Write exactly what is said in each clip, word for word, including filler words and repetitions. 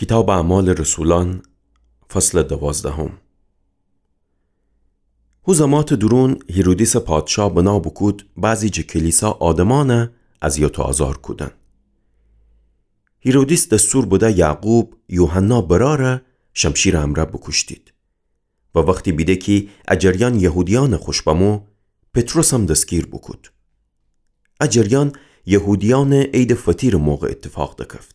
کیتابٚ اعمالٚ رسولأن، فصلٚ دوازدهم. هو زماتٚ دورون هیرودیسٚ پادشاه بنا بوکود بعضی جٚه کلیسا آدمأنَ اذیت و آزار کودن. هیرودیس دستور بده یعقوب، یوحنا برأرَ شمشیرٚ امرأ بوکوشتید. و وختی بیده کی ا جریان یهودیأنٚ خوش بمو، پطرسم دستگیر بوکود. ا جریان یهودیأنٚ عیدٚ فطیرٚ موقع ایتفاق دکفت.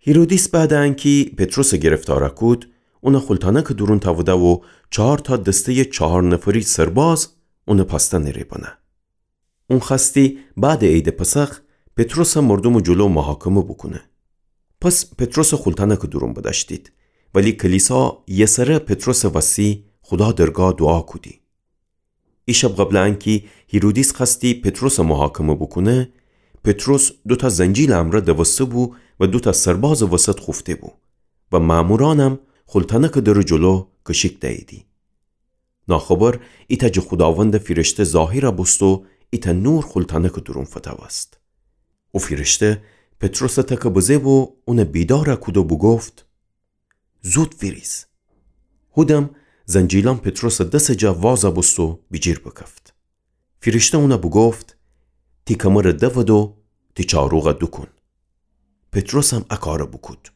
هیرودیس بعدٚ انکی پطرسٚ گرفتار کود، اونَ خولتأنکٚ دورون تأوده و چهارتأ دسته‌یٚ چهار نفری سرباز اونٚ پاستن ره بنه. اون خوأستی بعدٚ عیدٚ پسخ پطرسَ مردومٚ جلو محاکمه بوکونه. پس پطرسَ خولتأنکٚ دورون بدأشتید، ولی کلیسا یسره پطرسٚ وسی خودا درگاه دوعا کودی. ای شب قبلٚ انکی هیرودیس خوأستی پطرسَ محاکمه بوکونه، پطرس دوتأ زنجیلٚ امرأ دوسته بو و دوتأ سربازٚ وسط خوفته بو و مأمورأنم خولتأنکٚ درٚ جلو کشیک دأییدی. ناخبر ایتأ جٚه خوداوندٚ فیرشته ظاهر بوست و ایتأ نور خولتأنکٚ دورون فتوست. او فیرشته پطرسٚ تکَ بزه بو، اونَ بیدار کود و بوگفت: زود ویریز. هودم زنجیلأن پطرسٚ دسٚ جا واز بوست و بیجیر بکفت. فیرشته اونَ بوگفت: تی کمرَ دود و تی چاروغَ دوکون. پطرسم ا کارَ بوکود.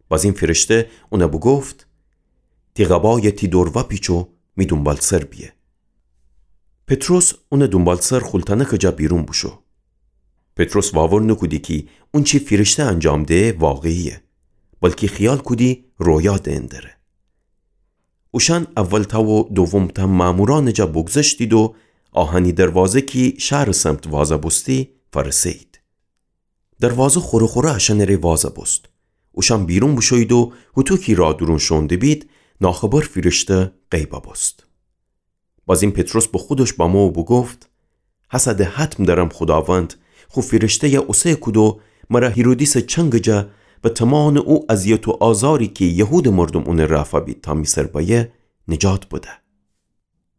بازین فیرشته اونَ بوگفت: تی قبایَ تی دور وأپیچ و می دونبالسر بیه. پطرس اونٚ دونبالسر خولتأنکٚ جا بیرون بوشو. پطرس واور نوکودی کی اونچی فیرشته انجام ده واقعیه، بلکی خیال کودی رویا دئن دره. اوشأن اولتأ و دومتأ مأمورأنٚ جا بوگذشتید و آهنی دروازه کی شهرٚ سمت واز بوستی فأرسه‌یید. دروازه خوره خوره اشأنٚ ره واز بوست. اوشأن بیرون بوشویید و هوطو کی راه دورون شوئون دبید، ناخبر فیرشته غیب بوست. بازین پطرس به خودش بمو و بوگفت: هسه ده حتم دأرم خوداوند خو فیرشته‌یَ اوسه کود و مرَ هیرودیسٚ چنگٚ جا و تومانٚ او اذیت و آزاری کی یهودٚ مردوم اونٚ رأ فأبید تا می سر بأیه، نجات بده.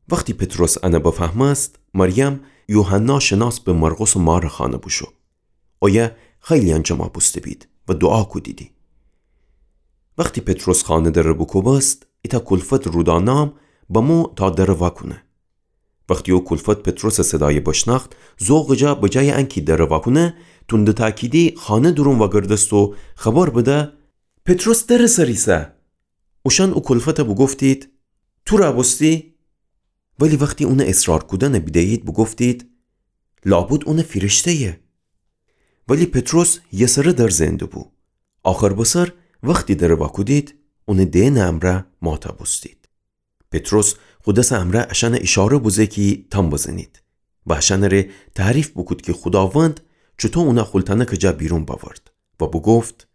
وختی پطرس انَ بفهمست، مریم یوحنا شناس به مرقسٚ مارٚ خانه بوشو. اویه خیلی‌یأن جمع بوسته‌بید و دوعا کودیدی. وختی پطرس خانه درَ بوکوبست، ایتأ کلفت رودا نام بمو تا درَ وأکونه. وختی او کلفت پطرسٚ صدایَ بشنأخت، ذوقٚ جا به جایٚ انکی درَ وأکونه، توندٚ تأکیدی خانه دورون وأگردست و خبر بده: پطرس درٚ سر ایسه. اوشأن او کلفتَ بوگفتید: تو رأ بوستی؟ ولی وختی اونٚ اصرار کودنَ بیده‌یید بوگفتید: لابد اونٚ فیرشته‌یه. ولی پطرس یسره در زئن دوبو. آخر بسر وختی درَ وأکودید، اونٚ دئنٚ امرأ ماته بوستید. پطرس خو دسٚ امرأ اشأنَ ایشاره بوزه کی تام بزنید و اشأنٚ ره تعریف بوکود کی خوداوند چوطو اونَ خولتأنکٚ جا بیرون بأورد و بوگفت: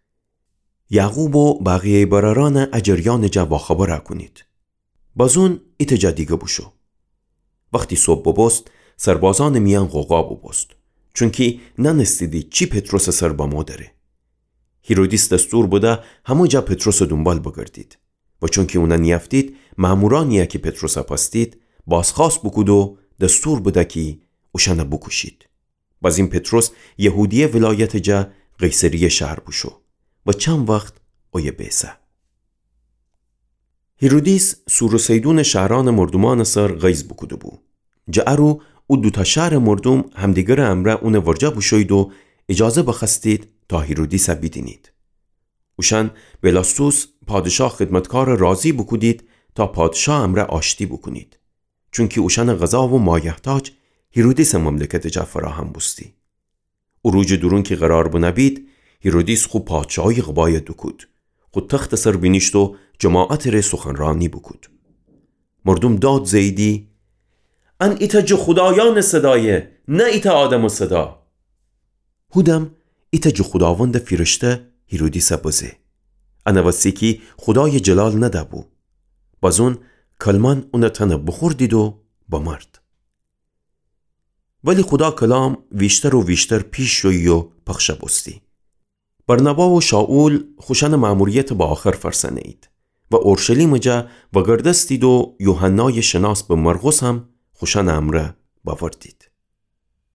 یعقوب و بقیه‌یٚ برأرأنَ ا جریانٚ جا واخبر کونید. بازون ایتأ جا دیگه بوشو. وختی صبح بوبوست، سربازأنٚ میأن غوغا بوبوست، چونکی نأنستیدی چی پطرسٚ سر بمو دره. هیرودیس دستور بده همه جا پطرسٚ دونبال بگردید و چونکی اونَ نیأفتید، مأمورأنی‌یَ کی پطرسَ پأستید، بازخوأست بوکود و دستور بده کی اوشأنَ بوکوشید. بازین پطرس یهودیه ولایتٚ جا قیصریه شهر بوشو و چند وخت اویه بیسه. هیرودیس سور و سیدونٚ شهرأنٚ مردومأنٚ سر غیظ بوکوده‌بو. جٚه ا رو او دوتأ شهرٚ مردوم همدیگرٚ امرأ اونٚ ورجه بوشویید و ایجازه بخوأستید تا هیرودیسَ بیدینید. اوشأن بلاستوس پادشاه خدمتکارَ راضی بوکودید تا پادشاه امرأ آشتی بوکونید. چونکی اوشأنٚ غذا و مایحتاج هیرودیسٚ مملکتٚ جا فراهم بوستی. او روجٚ دورون کی قرار بنه بید، هیرودیس خو پادشاهی قبایَ دوکود. خو تختٚ سر بینیشت و جماعتٚ ره سخنرأنی بوکود. مردوم داد زه‌ییدی: ان ایتأ جٚه خودایأنٚ صدایه، نه ایتأ آدمٚ صدا. هودم ایتأ جٚه خوداوندٚ فیرشته هیرودیسَ بزه. انٚ وستی کی خودایَ جلال نده‌بو. بازون کلمأن اونٚ تنَ بوخوردید و بمرد. ولی خودا کلام ویشتر و ویشتر پیش شویی و پخشَ بوستی. برنابا و شائول خوشأنٚ مأموریتَ به آخر فأرسأنه‌یید و اورشلیمٚ جا وگردستید و یوحنایَ شناس به مرقسم خوشأنٚ امرأ بأوردید.